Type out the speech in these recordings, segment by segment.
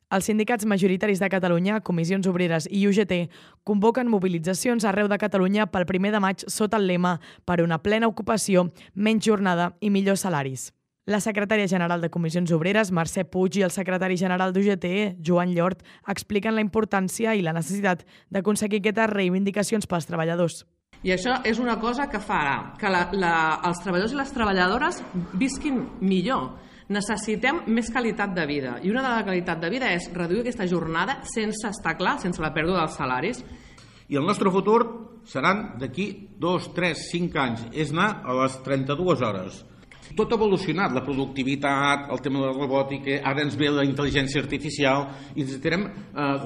Els sindicats majoritaris de Catalunya, Comissions Obreres i UGT convoquen mobilitzacions arreu de Catalunya pel 1 de maig sota el lema per una plena ocupació, menys jornada i millors salaris. La secretària general de Comissions Obreres, Mercè Puig, i el secretari general d'UGT, Joan Llort, expliquen la importància i la necessitat d'aconseguir aquestes reivindicacions pels treballadors. I això és una cosa que farà que els treballadors i les treballadores visquin millor. Necessitem més qualitat de vida, i una de la qualitat de vida és reduir aquesta jornada sense estar clar, sense la pèrdua dels salaris. I el nostre futur seran d'aquí 2, 3, 5 anys, és anar a les 32 hores. Tot ha evolucionat, la productivitat, el tema de la robòtica, ara ens ve la intel·ligència artificial, i necessitarem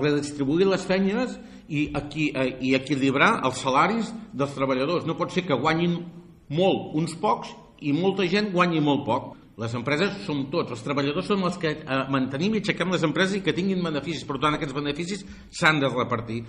redistribuir les feines i equilibrar els salaris dels treballadors. No pot ser que guanyin molt uns pocs i molta gent guanyi molt poc. Les empreses som tots, els treballadors són els que mantenim i aixequem les empreses i que tinguin beneficis, per tant aquests beneficis s'han de repartir.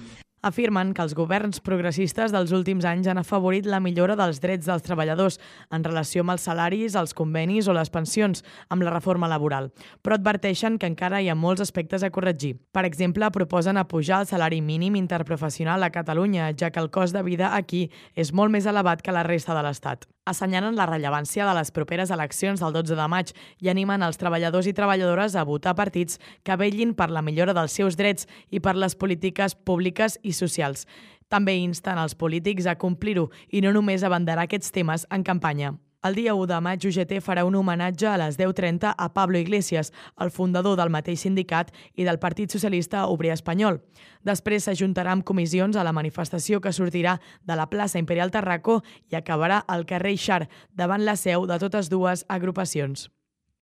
Afirmen que els governs progressistes dels últims anys han afavorit la millora dels drets dels treballadors en relació amb els salaris, els convenis o les pensions amb la reforma laboral, però adverteixen que encara hi ha molts aspectes a corregir. Per exemple, proposen apujar el salari mínim interprofessional a Catalunya, ja que el cost de vida aquí és molt més elevat que la resta de l'Estat. Assenyalen la rellevància de les properes eleccions del 12 de maig i animen els treballadors i treballadores a votar partits que vetllin per la millora dels seus drets i per les polítiques públiques i socials. També insten els polítics a complir-ho i no només a abanderar aquests temes en campanya. El dia 1 de maig, UGT farà un homenatge a les 10:30 a Pablo Iglesias, el fundador del mateix sindicat i del Partit Socialista Obrer Espanyol. Després s'ajuntarà amb comissions a la manifestació que sortirà de la plaça Imperial Tarracó i acabarà al carrer Ixar, davant la seu de totes dues agrupacions.